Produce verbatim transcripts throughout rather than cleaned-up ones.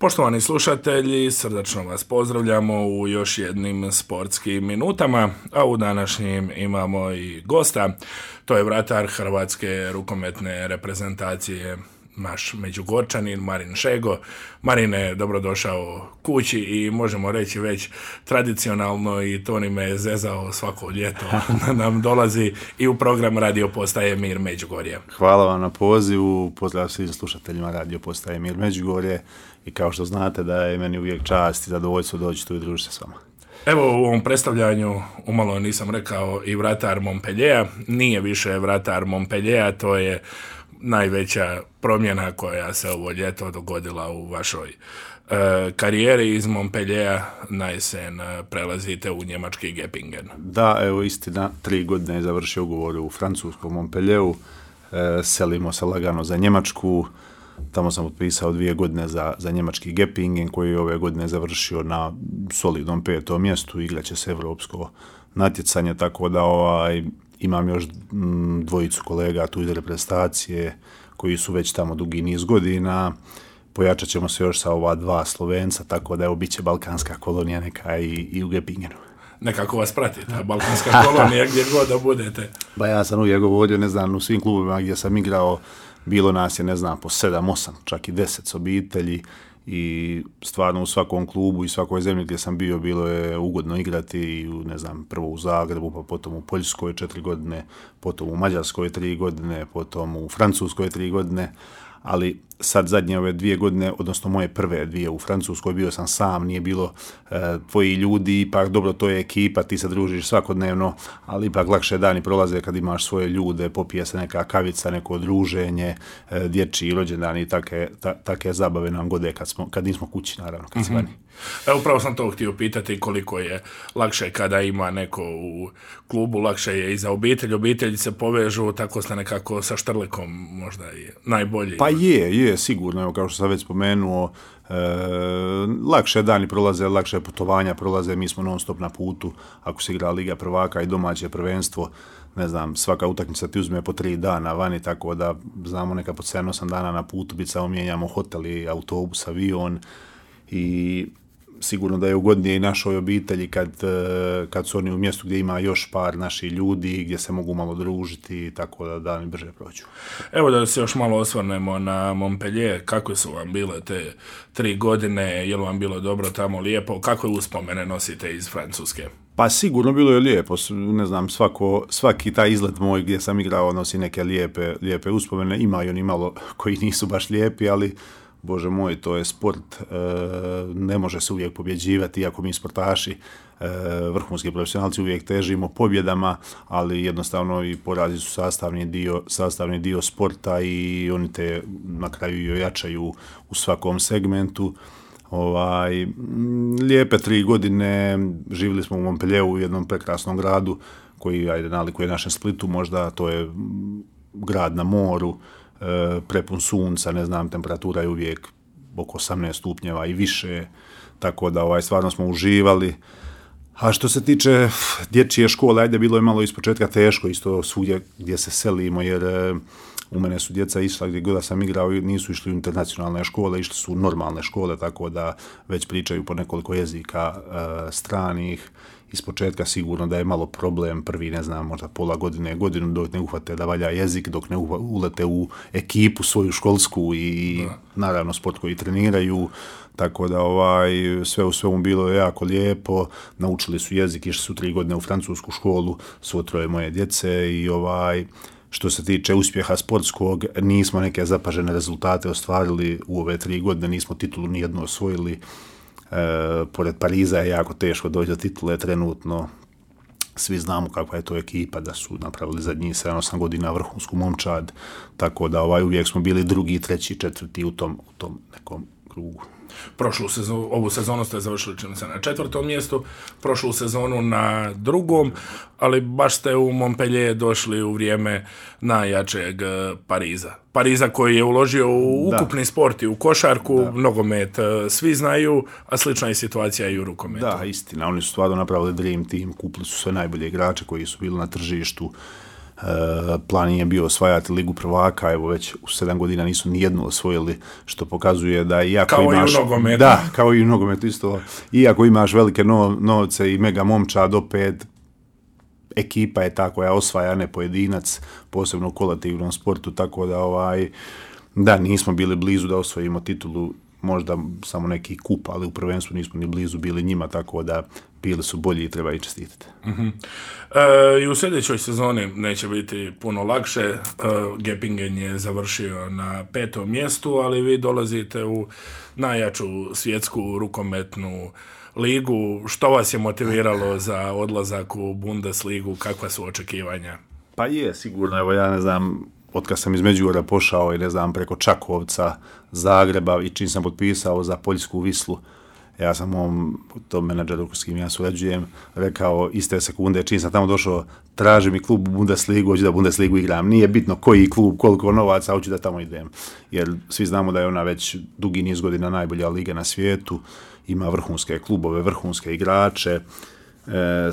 Poštovani slušatelji, srdačno vas pozdravljamo u još jednim sportskim minutama, a u današnjim imamo i gosta, to je vratar hrvatske rukometne reprezentacije, naš Međugorčanin Marin Šego. Marine, dobrodošao kući i možemo reći već tradicionalno, i Toni me zezao svako ljeto, nam dolazi i u program Radio Postaje Mir Međugorje. Hvala vam na pozivu, pozdrav svim slušateljima Radio Postaje Mir Međugorje i kao što znate da je meni uvijek čast i zadovoljstvo doći tu i družiti se s vama. Evo, u ovom predstavljanju umalo nisam rekao i vratar Montpelliera, nije više vratar Montpelliera, to je najveća promjena koja se ovo ljeto dogodila u vašoj e, karijeri. Iz Montpelliera na jesen prelazite u njemački Göppingen. Da, evo istina, tri godine je završio ugovor u francuskom Montpellieru, e, selimo se lagano za Njemačku, tamo sam potpisao dvije godine za, za njemački Göppingen koji je ove godine završio na solidnom petom mjestu, igraće se evropsko natjecanje, tako da ovaj imam još dvojicu kolega tu iz reprezentacije koji su već tamo dugi niz godina. Pojačat ćemo se još sa ova dva Slovenca, tako da evo bit će balkanska kolonija neka i, i u Göppingenu. Nekako vas prati ta balkanska kolonija gdje god da budete. Ba ja sam uvijek govorio, ne znam, u svim klubima gdje sam igrao, bilo nas je, ne znam, po sedam, osam, čak i deset s obitelji. I stvarno u svakom klubu i svakoj zemlji gdje sam bio bilo je ugodno igrati i u, ne znam, prvo u Zagrebu, pa potom u Poljskoj četiri godine, potom u Mađarskoj tri godine, potom u Francuskoj tri godine, ali sad zadnje ove dvije godine, odnosno moje prve dvije u Francuskoj, bio sam sam, nije bilo e, tvoji ljudi, ipak dobro, to je ekipa, ti se družiš svakodnevno, ali ipak lakše dani prolaze kad imaš svoje ljude, popije se neka kavica, neko druženje, e, dječji rođendani i take, ta, take zabave nam gode kad, smo, kad nismo kući, naravno, kad si vani. Evo, upravo sam to htio pitati, koliko je lakše kada ima neko u klubu, lakše je i za obitelj, obitelji se povežu, tako ste nekako sa štrlekom možda i najbolji. Pa je, je, sigurno, evo, kao što sam već spomenuo, e, lakše dani prolaze, lakše putovanja prolaze, mi smo non stop na putu, ako se igra Liga prvaka i domaće prvenstvo, ne znam, svaka utakmica ti uzme po tri dana vani, tako da znamo neka po sedam osam dana na putu, biti samo mijenjamo hotel i autobus, avion i sigurno da je ugodnije i našoj obitelji kad, kad su oni u mjestu gdje ima još par naših ljudi, gdje se mogu malo družiti, tako da dani brže prođu. Evo da se još malo osvrnemo na Montpellier, kako su vam bile te tri godine, je li vam bilo dobro tamo, lijepo, kakve uspomene nosite iz Francuske? Pa sigurno bilo je lijepo, ne znam, svako, svaki taj izlet moj gdje sam igrao nosi neke lijepe, lijepe uspomene, ima i oni malo koji nisu baš lijepi, ali Bože moj, to je sport, e, ne može se uvijek pobjeđivati, iako mi sportaši, e, vrhunski profesionalci uvijek težimo pobjedama, ali jednostavno i porazi su sastavni dio, sastavni dio sporta i oni te na kraju i ojačaju u svakom segmentu. Ovaj, lijepe tri godine, živjeli smo u Montpellieru, u jednom prekrasnom gradu koji, ajde, nalikuje našem Splitu, možda to je grad na moru, prepun sunca, ne znam, temperatura je uvijek oko osamnaest stupnjeva i više, tako da ovaj, stvarno smo uživali. A što se tiče dječje škole, ajde, bilo je malo ispočetka teško, isto svugdje gdje se selimo, jer u mene su djeca išla gdje god sam igrao, nisu išli u internacionalne škole, išli su u normalne škole, tako da već pričaju po nekoliko jezika e, stranih. Ispočetka sigurno da je malo problem, prvi, ne znam, možda pola godine, godinu dok ne uhvate da valja jezik, dok ne ulete u ekipu svoju školsku i da. Naravno sport koji treniraju, tako da ovaj, sve u svemu bilo je jako lijepo, naučili su jezik, išli su tri godine u francusku školu, svo troje moje djece i ovaj, što se tiče uspjeha sportskog, nismo neke zapažene rezultate ostvarili u ove tri godine, nismo titulu nijednu osvojili. E, pored Pariza je jako teško doći do titule trenutno. Svi znamo kakva je to ekipa, da su napravili zadnjih sedam osam godina vrhunsku momčad, tako da ovaj, uvijek smo bili drugi, treći, četvrti u tom, u tom nekom krugu. Prošlu sezonu, ovu sezonu ste završili čini se na četvrtom mjestu, prošlu sezonu na drugom, ali baš ste u Montpellier došli u vrijeme najjačeg Pariza. Pariza koji je uložio u ukupni da. sport i u košarku, da. nogomet svi znaju, a slična je situacija i u rukometu. Da, istina, oni su stvarno napravili dream team, kupili su sve najbolje igrače koji su bili na tržištu. plan je bio osvajati Ligu prvaka, evo već u sedam godina nisu ni jednu osvojili, što pokazuje da iako kao imaš... i u nogometu. Da, kao i u nogometu isto. Iako imaš velike no, novce i mega momčad, opet ekipa je ta koja osvaja, ne pojedinac, posebno u kolektivnom sportu, tako da ovaj, da, nismo bili blizu da osvojimo titulu, možda samo neki kup, ali u prvenstvu nismo ni blizu bili njima, tako da bili su bolji i treba i čestitati. Uh-huh. E, I u sljedećoj sezoni neće biti puno lakše. E, Gepingen je završio na petom mjestu, ali vi dolazite u najjaču svjetsku rukometnu ligu. Što vas je motiviralo za odlazak u Bundesligu? Kakva su očekivanja? Pa je, sigurno. Evo ja ne znam, otkad sam iz Međugorja pošao i ne znam, preko Čakovca, Zagreba i čim sam potpisao za Poljsku Vislu, ja sam mom tom menadžeru s kim ja surađujem rekao iste sekunde, čim sam tamo došao, traži mi klub Bundesligu, hoću da Bundesligu igram. Nije bitno koji klub, koliko novaca, hoću da tamo idem. Jer svi znamo da je ona već dugi niz godina najbolja liga na svijetu, ima vrhunske klubove, vrhunske igrače, e,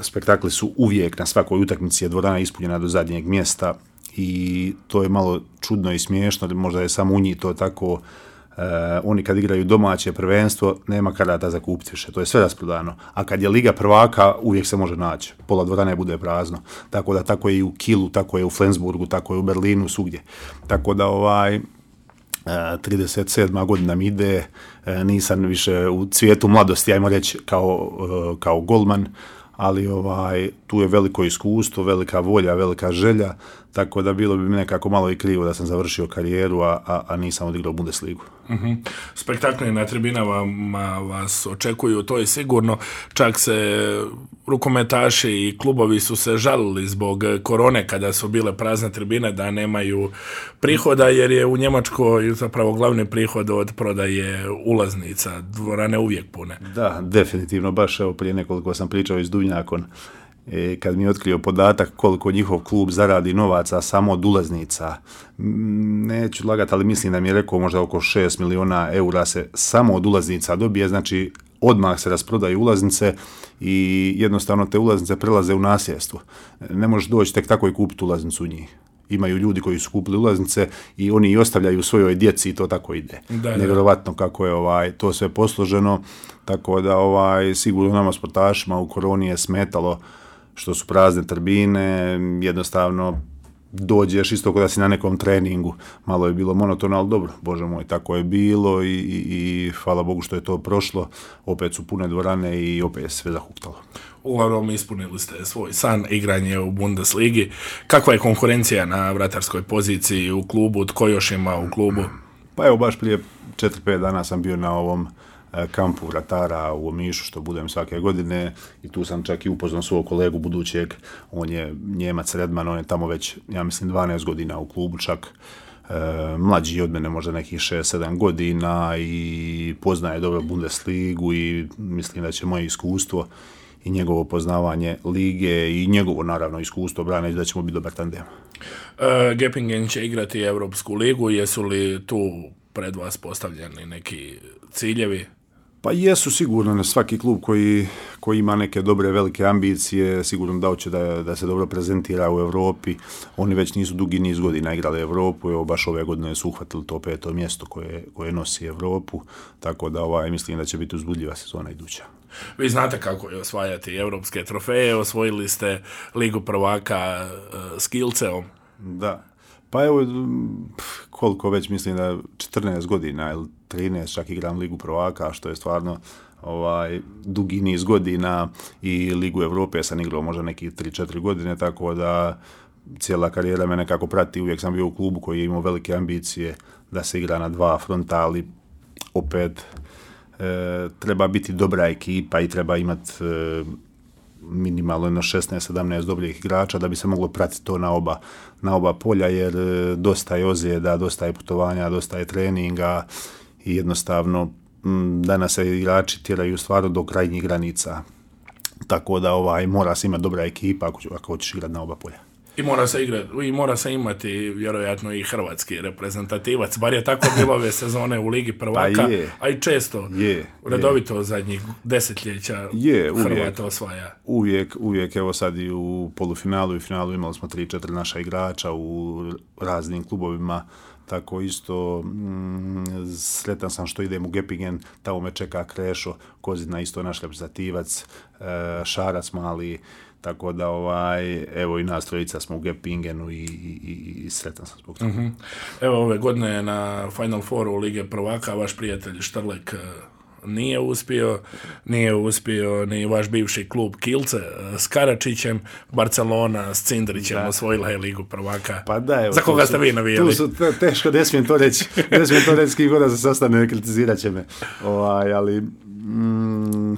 spektakli su uvijek, na svakoj utakmici je dvorana ispunjena do zadnjeg mjesta i to je malo čudno i smiješno, možda je samo u njih to tako. Uh, oni kad igraju domaće prvenstvo, nema karata za kupiti više, to je sve rasprodano. A kad je Liga prvaka, uvijek se može naći. Pola dvorane bude prazno. Tako da tako je i u Kielu, tako je u Flensburgu, tako je u Berlinu, svugdje. Tako da ovaj, uh, trideset sedma godina mi ide, uh, nisam više u cvijetu mladosti, ajmo reći, kao, uh, kao golman, ali ovaj, tu je veliko iskustvo, velika volja, velika želja, tako da bilo bi mi nekako malo i krivo da sam završio karijeru, a, a, a nisam odigrao Bundesligu. Uh-huh. Spektakli na tribinama vas očekuju, to je sigurno. Čak se rukometaši i klubovi su se žalili zbog korone kada su bile prazne tribine da nemaju prihoda, jer je u Njemačkoj zapravo glavni prihod od prodaje ulaznica, dvorane uvijek pune. Da, definitivno, baš evo prije nekoliko sam pričao iz Duvnjakon, E, kad mi je otkrio podatak koliko njihov klub zaradi novaca samo od ulaznica, neću lagati, ali mislim da mi je rekao možda oko šest miliona eura se samo od ulaznica dobije, znači odmah se rasprodaju ulaznice i jednostavno te ulaznice prelaze u nasljedstvo. Ne možeš doći tek tako i kupiti ulaznicu u njih. Imaju ljudi koji su kupili ulaznice i oni i ostavljaju svojoj djeci i to tako ide. Nevjerovatno kako je ovaj, to sve posloženo, tako da ovaj, sigurno nama sportašima u koroni je smetalo što su prazne tribine, jednostavno dođeš isto kada si na nekom treningu, malo je bilo monotono, ali dobro, Bože moj, tako je bilo i, i, i hvala Bogu što je to prošlo, opet su pune dvorane i opet je sve zahuktalo. Uglavnom ispunili ste svoj san, igranje u Bundesligi. Kakva je konkurencija na vratarskoj poziciji u klubu, tko još ima u klubu? Pa evo, baš prije četiri pet dana sam bio na ovom kampu vratara u Omišu, što budem svake godine, i tu sam čak i upoznao svog kolegu budućeg, on je Njemac Redman, on je tamo već, ja mislim, dvanaest godina u klubu, čak e, mlađi od mene, možda nekih šest sedam godina i poznaje dobro Bundesligu i mislim da će moje iskustvo i njegovo poznavanje lige i njegovo, naravno, iskustvo brane da ćemo biti dobar tandem. E, Gepingen će igrati Europsku ligu, jesu li tu pred vas postavljeni neki ciljevi? Pa jesu sigurno, na svaki klub koji, koji ima neke dobre velike ambicije, sigurno da hoće da, da se dobro prezentira u Europi. Oni već nisu dugi niz godina igrali Europu, evo baš ove godine su uhvatili to peto mjesto koje, koje nosi Europu, tako da ovaj, mislim da će biti uzbudljiva sezona iduća. Vi znate kako je osvajati europske trofeje, osvojili ste Ligu prvaka uh, s Kielceom. Da. Pa evo, koliko već, mislim da četrnaest godina ili trinaest čak igram Ligu prvaka, što je stvarno ovaj, dugi niz godina, i Ligu Europe sam igrao možda neki tri četiri godine, tako da cijela karijera me nekako prati, uvijek sam bio u klubu koji je imao velike ambicije da se igra na dva fronta, ali opet e, treba biti dobra ekipa i treba imati e, minimalno jedno šesnaest sedamnaest dobrih igrača da bi se moglo pratiti to na oba, na oba polja, jer dosta je ozljeda, dosta je putovanja, dosta je treninga i jednostavno m, danas se igrači tjeraju stvarno do krajnjih granica. Tako da ovaj, mora se imati dobra ekipa ako, ako hoćeš igrati na oba polja. I mora se igrati, i mora se imati vjerojatno i hrvatski reprezentativac, bar je tako bilo ove sezone u Ligi prvaka, pa a i često, je, redovito je. Zadnjih desetljeća je, uvijek, Hrvata osvaja. Uvijek, uvijek, evo sad i u polufinalu i finalu imali smo tri, četiri naša igrača u raznim klubovima, tako isto mm, sretan sam što idem u Gepingen, tamo me čeka Krešo Kozina, isto naš reprezentativac, e, Šarac mali, tako da ovaj, evo i nas trojica smo u Gepingenu i, i, i sretan sam zbog toga. Mm-hmm. Evo ove godine na Final Fouru Lige prvaka vaš prijatelj Štrlek nije uspio, nije uspio ni vaš bivši klub Kielce s Karačićem, Barcelona s Cindrićem da. Osvojila je Ligu prvaka. Pa da, evo, za koga ste su, vi navijali? Tu su te, teško, ne smijem to reći, ne smijem to reći, s kim god da se sastane, kritizirat će me. Ovaj, ali mm,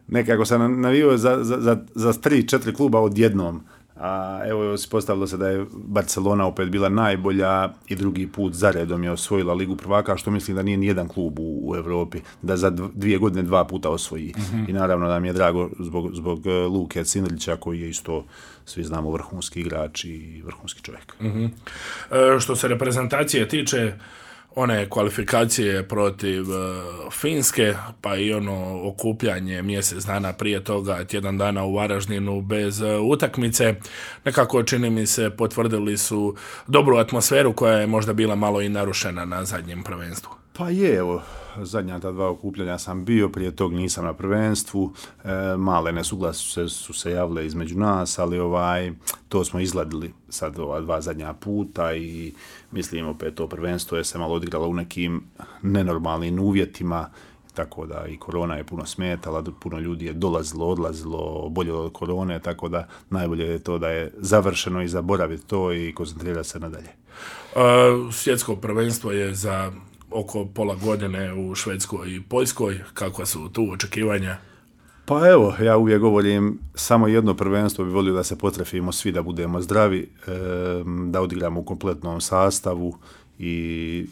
nekako sam navio za, za, za, za tri, četiri kluba odjednom. A evo se postavilo se da je Barcelona opet bila najbolja i drugi put zaredom je osvojila Ligu prvaka, što mislim da nije nijedan klub u, u Europi da za dvije godine dva puta osvoji. Mm-hmm. I naravno da mi je drago zbog, zbog Luke Cindrića koji je isto, svi znamo, vrhunski igrač i vrhunski čovjek. Mm-hmm. E, što se reprezentacije tiče, one kvalifikacije protiv uh, Finske, pa i ono okupljanje mjesec dana prije toga, tjedan dana u Varaždinu bez uh, utakmice, nekako čini mi se potvrdili su dobru atmosferu koja je možda bila malo i narušena na zadnjem prvenstvu. Pa je, evo, zadnja ta dva okupljanja sam bio, prije tog nisam na prvenstvu, e, male nesuglasice su se javile između nas, ali ovaj, to smo izgladili sad ova dva zadnja puta i mislim opet to prvenstvo je se malo odigralo u nekim nenormalnim uvjetima, tako da i korona je puno smetala, puno ljudi je dolazilo, odlazilo, boljelo od korone, tako da najbolje je to da je završeno i zaboraviti to i koncentrirati se nadalje. Uh, svjetsko prvenstvo je za oko pola godine u Švedskoj i Poljskoj. Kakva su tu očekivanja? Pa evo, ja uvijek govorim, samo jedno prvenstvo bi volio da se potrefimo svi, da budemo zdravi, da odigramo u kompletnom sastavu i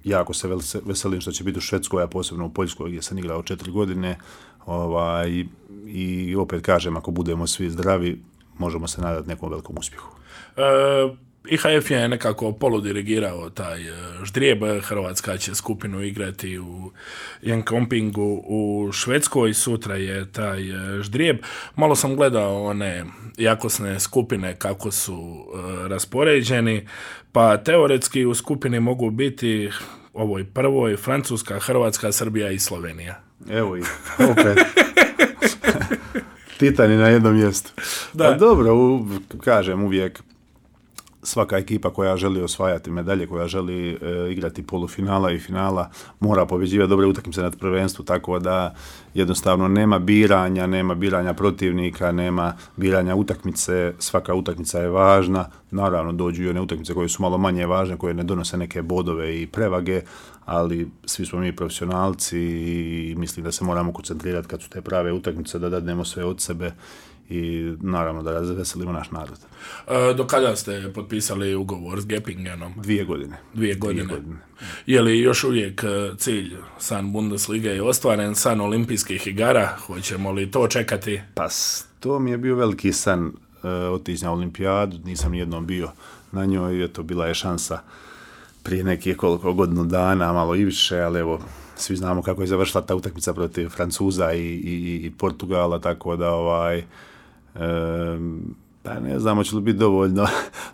jako se veselim što će biti u Švedskoj, a posebno u Poljskoj gdje sam igrao četiri godine. Ovaj, i opet kažem, ako budemo svi zdravi, možemo se nadati nekom velikom uspjehu. E- I H F je nekako poludirigirao taj ždrijeb. Hrvatska će skupinu igrati u Jönköpingu u Švedskoj, sutra je taj ždrijeb. Malo sam gledao one jakosne skupine kako su uh, raspoređeni, pa teoretski u skupini mogu biti ovoj prvoj Francuska, Hrvatska, Srbija i Slovenija. Evo ih, opet. Titani na jednom mjestu. Da. Pa dobro, u, kažem uvijek, svaka ekipa koja želi osvajati medalje, koja želi e, igrati polufinala i finala, mora pobjeđivati dobre utakmice na prvenstvu, tako da jednostavno nema biranja, nema biranja protivnika, nema biranja utakmice, svaka utakmica je važna, naravno dođu i one utakmice koje su malo manje važne, koje ne donose neke bodove i prevage, ali svi smo mi profesionalci i mislim da se moramo koncentrirati kad su te prave utakmice, da dadnemo sve od sebe i naravno da razveselimo naš narod. E, do kada ste potpisali ugovor s Gepingenom? Dvije godine. Dvije godine. Dvije godine. Je li još uvijek cilj san Bundesliga je ostvaren, san olimpijskih igara? Hoćemo li to čekati? Pa to mi je bio veliki san, e, otići na olimpijadu, nisam nijednom bio na njoj, eto bila je šansa prije nekih koliko godinu dana, malo i više, ali evo, svi znamo kako je završila ta utakmica protiv Francuza i, i, i Portugala, tako da ovaj, e, pa ne znam, hoće li biti dovoljno,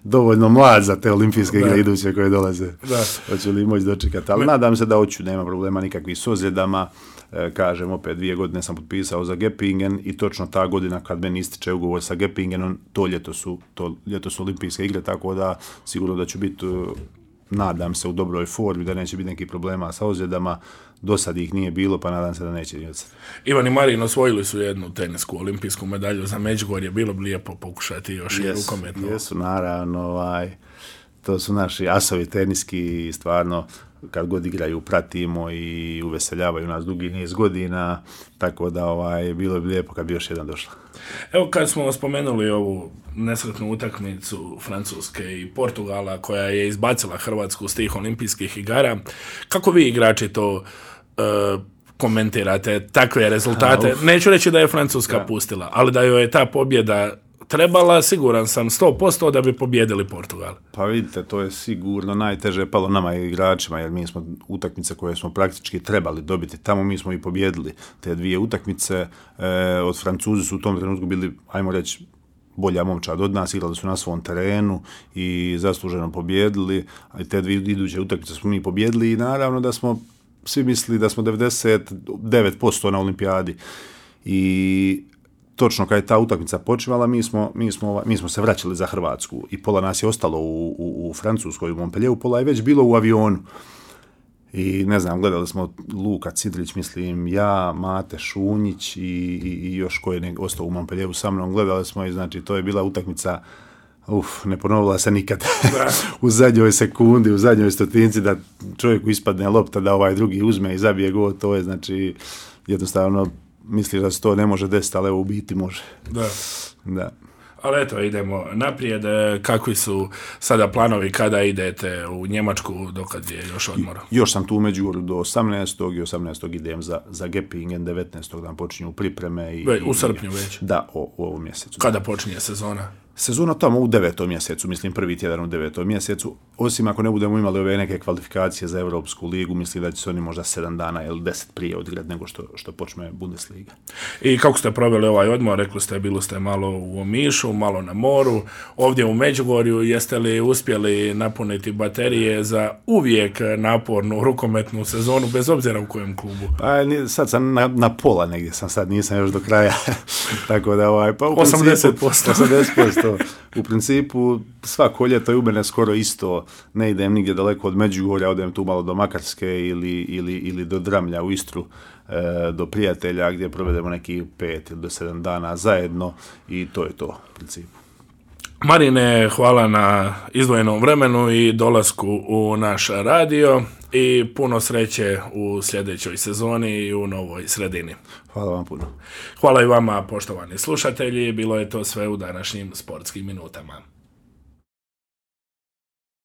dovoljno mlad za te olimpijske igre iduće koje dolaze. Da. Hoće li moći dočekati, ali Me... nadam se da hoću, nema problema nikakvih s ozljedama. E, kažem, opet dvije godine sam potpisao za Gepingen i točno ta godina kad meni ističe ugovor sa Gepingenom, to ljeto su, to ljeto su olimpijske igre, tako da sigurno da ću biti, nadam se, u dobroj formi, da neće biti nekih problema sa ozljedama. Do sad ih nije bilo, pa nadam se da neće biti. Ivan i Marin osvojili su jednu tenisku olimpijsku medalju za Međugorje, bilo bi lijepo pokušati još yes, i rukometno. Jesu, naravno, ovaj, to su naši asovi teniski i stvarno kad god igraju pratimo i uveseljavaju nas dugi niz godina, tako da ovaj, bilo bi lijepo kad bi još jedan došla. Evo kad smo spomenuli ovu nesretnu utakmicu Francuske i Portugala koja je izbacila Hrvatsku s tih olimpijskih igara, kako vi igrači to uh, komentirate, takve rezultate? A, Neću reći da je Francuska ja. pustila, ali da joj je ta pobjeda trebala, siguran sam, sto posto da bi pobjedili Portugal. Pa vidite, to je sigurno najteže palo nama i igračima, jer mi smo utakmice koje smo praktički trebali dobiti tamo, mi smo i pobjedili te dvije utakmice. E, od Francuzi su u tom trenutku bili, ajmo reći, bolja momčad od nas, igrali su na svom terenu i zasluženo pobjedili, a te dvije iduće utakmice smo mi pobjedili i naravno da smo svi mislili da smo devedeset devet posto na olimpijadi. I točno kad je ta utakmica počinjala, mi smo, mi, smo, mi smo se vraćali za Hrvatsku i pola nas je ostalo u, u, u Francuskoj, u Montpellieru, pola je već bilo u avionu. I ne znam, gledali smo Luka Cidrić, mislim, ja, Mate Šunjić i, i, i još koji je ostao u Montpellieru sa mnom, gledali smo i znači to je bila utakmica, uf, ne ponovila se nikad. U zadnjoj sekundi, u zadnjoj stotinci da čovjeku ispadne lopta, da ovaj drugi uzme i zabije gol, to je znači jednostavno misliš da se to ne može desiti, ali evo u biti može. Da. Da. Ali eto, idemo naprijed. Kakvi su sada planovi kada idete u Njemačku, dokad je još odmor? Još sam tu u Međugorju do osamnaestog i osamnaestog idem za, za Gepingen, devetnaestog dan počinju pripreme. I, Ve, u i, srpnju već? Da, o, u ovom mjesecu. Kada počinje sezona? Sezona tamo u devetom mjesecu, mislim prvi tjedan u devetom mjesecu, osim ako ne budemo imali ove neke kvalifikacije za Europsku ligu, mislim da će se oni možda sedam dana ili deset prije odigrati nego što, što počne Bundesliga. I kako ste proveli ovaj odmor? Rekli ste, bili ste malo u Omišu, malo na moru, ovdje u Međugorju, jeste li uspjeli napuniti baterije za uvijek napornu rukometnu sezonu, bez obzira u kojem klubu? Pa sad sam na, na pola negdje, sam sad nisam još do kraja, tako da ovaj, pa u osamdeset posto. osamdeset posto. U principu svako ljeto je u mene skoro isto, ne idem nigdje daleko od Međugorja, odem tu malo do Makarske ili, ili, ili do Dramlja u Istru, e, do prijatelja gdje provedemo neki pet ili do sedam dana zajedno i to je to u principu. Marine, hvala na izdvojenom vremenu i dolasku u naš radio i puno sreće u sljedećoj sezoni i u novoj sredini. Hvala vam puno. Hvala i vama, poštovani slušatelji, bilo je to sve u današnjim sportskim minutama.